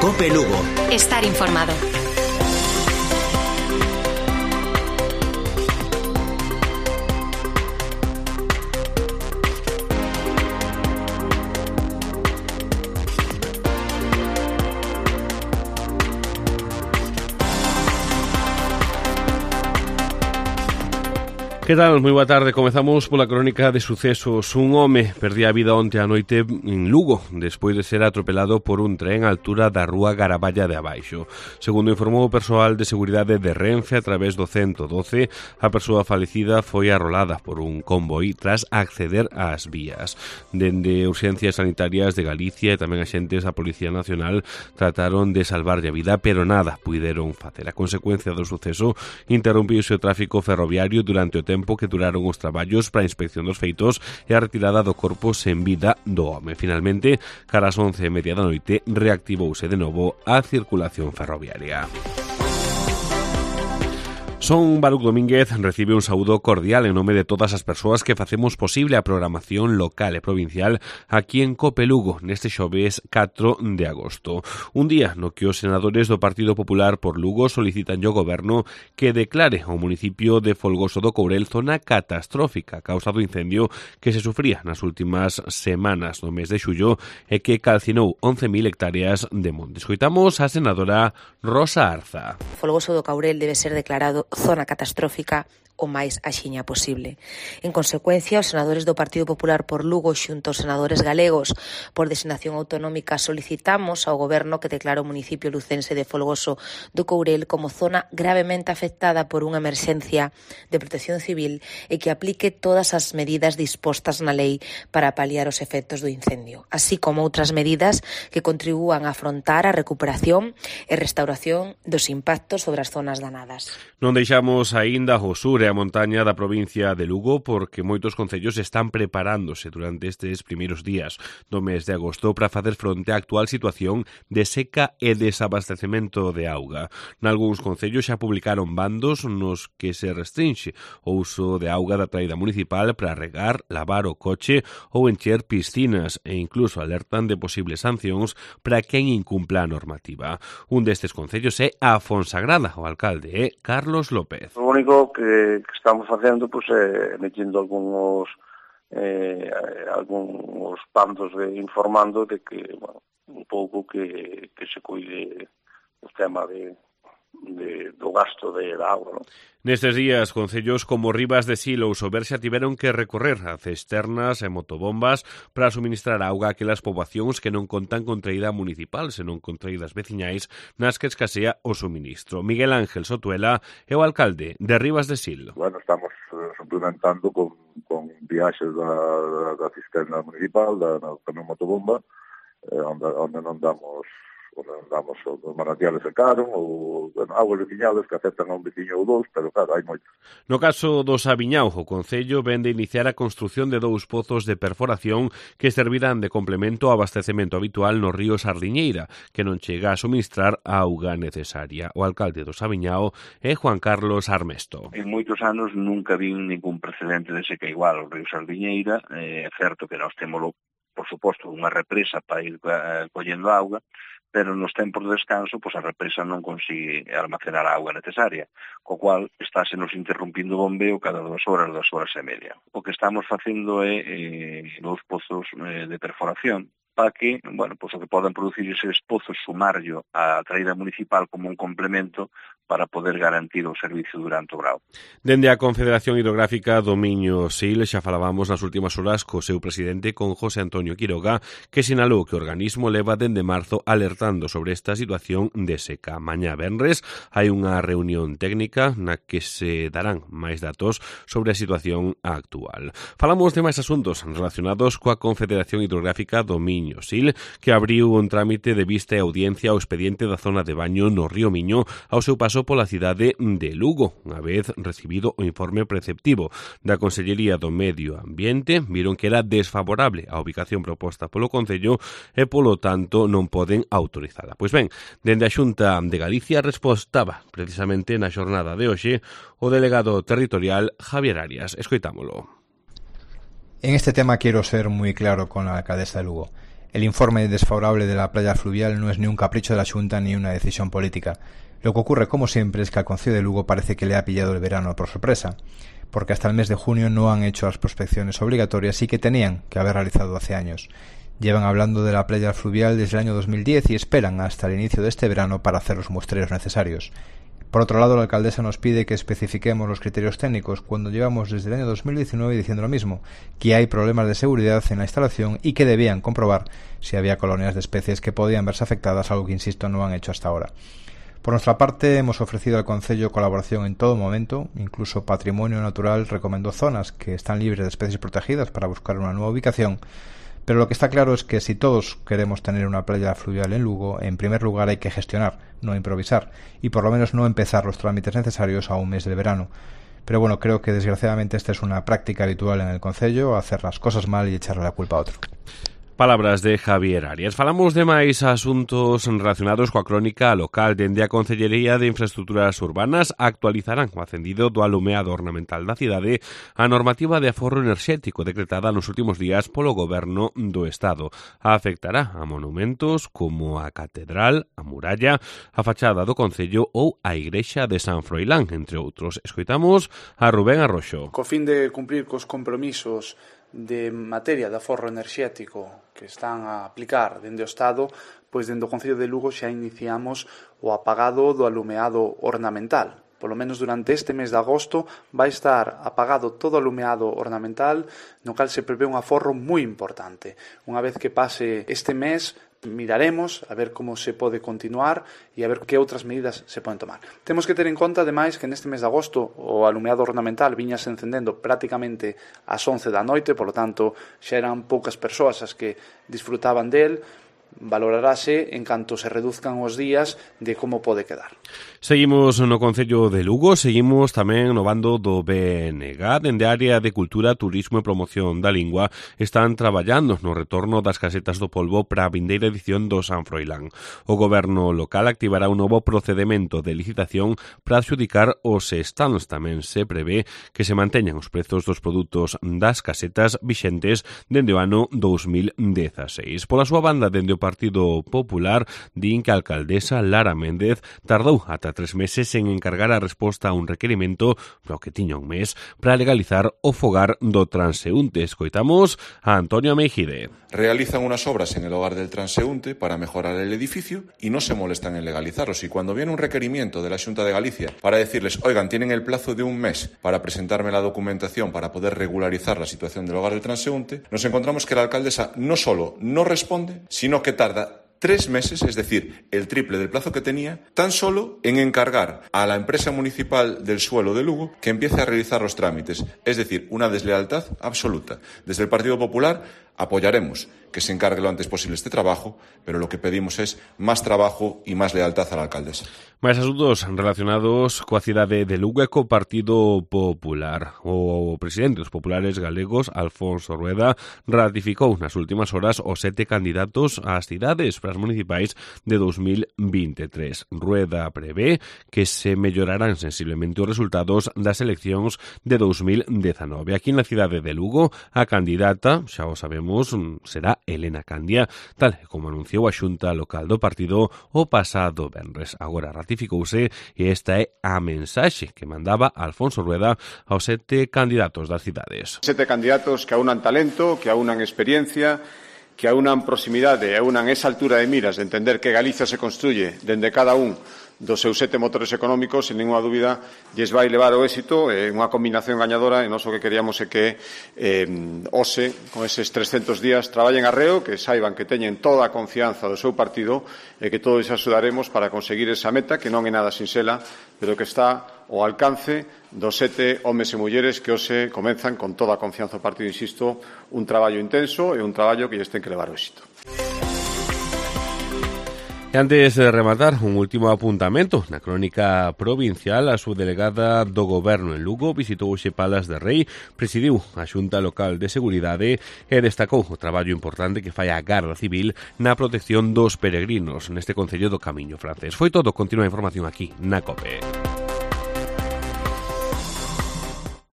COPE Lugo. Estar informado. Que tal? Moi boa tarde. Comezamos pola crónica de sucesos. Un home perdía a vida onte a noite en Lugo despois de ser atropelado por un tren á altura da rúa Garaballa de Abaixo. Segundo informou o persoal de seguridade de Renfe a través do 112, a persoa falecida foi arrolada por un convoi tras acceder ás vías. Dende urxencias sanitarias de Galicia e tamén axentes da Policía Nacional trataron de salvarlle a vida, pero nada puideron facer. A consecuencia do suceso interrompiuse o tráfico ferroviario durante o tempo que duraron os traballos para a inspección dos feitos e a retirada do corpo sen vida do home. Finalmente, cara ás 11:30 da noite, reactivouse de novo a circulación ferroviaria. Son Baruc Domínguez recibe un saúdo cordial en nome de todas as persoas que facemos posible a programación local e provincial aquí en COPE Lugo neste xoves 4 de agosto. Un día no que os senadores do Partido Popular por Lugo solicitan ao Goberno que declare ao municipio de Folgoso do Courel zona catastrófica a causa do incendio que se sufría nas últimas semanas do mes de xullo e que calcinou 11.000 hectáreas de monte. Escoitamos a senadora Rosa Arza. Folgoso do Courel debe ser declarado zona catastrófica o máis axiña posible. En consecuencia, os senadores do Partido Popular por Lugo xunto aos senadores galegos por designación autonómica solicitamos ao Goberno que declare o municipio lucense de Folgoso do Courel como zona gravemente afectada por unha emerxencia de protección civil e que aplique todas as medidas dispostas na lei para paliar os efectos do incendio, así como outras medidas que contribúan a afrontar a recuperación e restauración dos impactos sobre as zonas danadas. Non deixamos aínda o sur e a montaña da provincia de Lugo porque moitos concellos están preparándose durante estes primeiros días do mes de agosto para facer fronte á actual situación de seca e desabastecemento de auga. Nalgúns concellos xa publicaron bandos nos que se restrinxe o uso de auga da traída municipal para regar, lavar o coche ou encher piscinas e incluso alertan de posibles sancións para quen incumpla a normativa. Un destes concellos é a Fonsagrada, o alcalde é Carlos López. O único que estamos facendo é metendo algúns bandos informando de que, un pouco que se cuide o tema do gasto da auga, non? Nestes días, concellos como Rivas de Sil ou Soberxa tiveron que recorrer a cisternas e motobombas para suministrar auga a aquelas poboacións que non contan con traída municipal, senón con traídas veciñais nas que escasea o suministro. Miguel Ángel Sotuela é o alcalde de Rivas de Sil. Bueno, estamos suplementando con viaxes da cisterna municipal, da motobomba, onde non damos os manantiales secaron ou augas veciñales que aceptan a un veciño ou dous, pero claro, hai moitos. No caso do Sabiñao, o Concello vende iniciar a construción de 2 pozos de perforación que servirán de complemento ao abastecemento habitual no río Sardiñeira, que non chega a suministrar a auga necesaria. O alcalde do Sabiñao é Juan Carlos Armesto. En moitos anos nunca vi ningún precedente de seca igual o río Sardiñeira. É certo que nós témolo, por suposto, unha represa para ir collendo auga, pero nos tempos de descanso, a represa non consigue almacenar a auga necesaria, co cual estáse nos interrumpindo o bombeo cada 2 horas e media. O que estamos facendo é 2 pozos de perforación, para que, o que podan producir eses pozos sumarlo á traída municipal como un complemento para poder garantir o servicio durante o grao. Dende a Confederación Hidrográfica do Miño Sil xa falábamos nas últimas horas co seu presidente, con José Antonio Quiroga, que sinalou que o organismo leva dende marzo alertando sobre esta situación de seca. Mañá venres hai unha reunión técnica na que se darán máis datos sobre a situación actual. Falamos de máis asuntos relacionados coa Confederación Hidrográfica do Miño Sil, que abriu un trámite de vista e audiencia ao expediente da zona de baño no río Miño ao seu paso pola cidade de Lugo. Unha vez recibido o informe preceptivo da Consellería do Medio Ambiente, viron que era desfavorable a ubicación proposta polo Concello e, polo tanto, non poden autorizala. Pois ben, dende a Xunta de Galicia respostaba precisamente na xornada de hoxe o delegado territorial Javier Arias. Escoitámolo. En este tema quiero ser muy claro con la alcaldesa de Lugo. El informe desfavorable de la playa fluvial no es ni un capricho de la Xunta ni una decisión política. Lo que ocurre, como siempre, es que al Concello de Lugo parece que le ha pillado el verano por sorpresa, porque hasta el mes de junio no han hecho las prospecciones obligatorias y que tenían que haber realizado hace años. Llevan hablando de la playa fluvial desde el año 2010 y esperan hasta el inicio de este verano para hacer los muestreos necesarios. Por otro lado, la alcaldesa nos pide que especifiquemos los criterios técnicos cuando llevamos desde el año 2019 diciendo lo mismo, que hay problemas de seguridad en la instalación y que debían comprobar si había colonias de especies que podían verse afectadas, algo que, insisto, no han hecho hasta ahora. Por nuestra parte, hemos ofrecido al Concello colaboración en todo momento, incluso Patrimonio Natural recomendó zonas que están libres de especies protegidas para buscar una nueva ubicación. Pero lo que está claro es que si todos queremos tener una playa fluvial en Lugo, en primer lugar hay que gestionar, no improvisar, y por lo menos no empezar los trámites necesarios a un mes del verano. Pero bueno, creo que desgraciadamente esta es una práctica habitual en el Concello, hacer las cosas mal y echarle la culpa a otro. Palabras de Javier Arias. Falamos de máis asuntos relacionados coa crónica local. Dende a Concellería de Infraestructuras Urbanas actualizarán o acendido do alumeado ornamental da cidade a normativa de aforro enerxético decretada nos últimos días polo Goberno do Estado. Afectará a monumentos como a Catedral, a Muralla, a fachada do Concello ou a Igrexa de San Froilán, entre outros. Escoitamos a Rubén Arroxo. Co fin de cumprir cos compromisos de materia de aforro enerxético que están a aplicar dende o Estado, pois dende o Concello de Lugo xa iniciamos o apagado do alumeado ornamental. Polo menos durante este mes de agosto vai estar apagado todo o alumeado ornamental, no cal se prevé un aforro moi importante. Unha vez que pase este mes, miraremos a ver como se pode continuar e a ver que outras medidas se poden tomar. Temos que ter en conta, ademais, que neste mes de agosto o alumeado ornamental viñase encendendo prácticamente ás 11 da noite, polo tanto, xa eran poucas persoas as que disfrutaban del. Valorarase en canto se reduzcan os días de como pode quedar. Seguimos no Concello de Lugo, seguimos tamén no bando do BNG. Dende a área de Cultura, Turismo e Promoción da Lingua están traballando no retorno das casetas do polvo para a vindeira edición do San Froilán. O goberno local activará un novo procedemento de licitación para adxudicar os stands. Tamén se prevé que se manteñan os prezos dos produtos das casetas vixentes dende o ano 2016. Pola súa banda, dende o Partido Popular, din que a alcaldesa Lara Méndez tardou ata 3 meses en encargar a resposta a un requerimento no que tiña un mes para legalizar o fogar do transeúnte. Escoitamos a Antonio Meijide. Realizan unas obras en el hogar del transeúnte para mejorar el edificio y no se molestan en legalizarlos. Y cuando viene un requerimiento de la Xunta de Galicia para decirles, oigan, tienen el plazo de un mes para presentarme la documentación para poder regularizar la situación del hogar del transeúnte, nos encontramos que la alcaldesa no solo no responde, sino que tarda 3 meses, es decir, el triple del plazo que tenía, tan solo en encargar a la empresa municipal del suelo de Lugo que empiece a realizar los trámites. Es decir, una deslealtad absoluta. Desde el Partido Popular apoyaremos que se encargue lo antes posible este trabajo, pero lo que pedimos es más trabajo y más lealtad a la alcaldesa. Máis asuntos relacionados coa cidade de Lugo e co Partido Popular. O presidente dos populares galegos, Alfonso Rueda, ratificou nas últimas horas os 7 candidatos ás cidades para as municipais de 2023. Rueda prevé que se mellorarán sensiblemente os resultados das eleccións de 2019. Aquí na cidade de Lugo, a candidata, xa o sabemos, será Elena Candia, tal como anunciou a Xunta Local do partido o pasado venres. Agora ratificouse e esta é a mensaxe que mandaba Alfonso Rueda aos 7 candidatos das cidades. 7 candidatos que aunan talento, que aunan experiencia, que aunan proximidade, aunan esa altura de miras de entender que Galicia se construye dende cada un dos seus 7 motores económicos, sen ninguna dúbida, lles vai levar o éxito, unha combinación gañadora, e nós o que queríamos é que hoxe, con eses 300 días, traballen arreo, que saiban que teñen toda a confianza do seu partido e que todos axudaremos para conseguir esa meta, que non é nada sinxela, pero que está ao alcance dos 7 homes e mulleres que hoxe comenzan con toda a confianza do partido, insisto, un traballo intenso e un traballo que lles ten que levar o éxito. E antes de rematar, un último apuntamento. Na crónica provincial, a subdelegada do Goberno en Lugo visitou hoxe Palas de Rei, presidiu a Xunta Local de Seguridade e destacou o traballo importante que fai a Garda Civil na protección dos peregrinos neste concello do Camiño Francés. Foi todo, continúa a información aquí na COPE.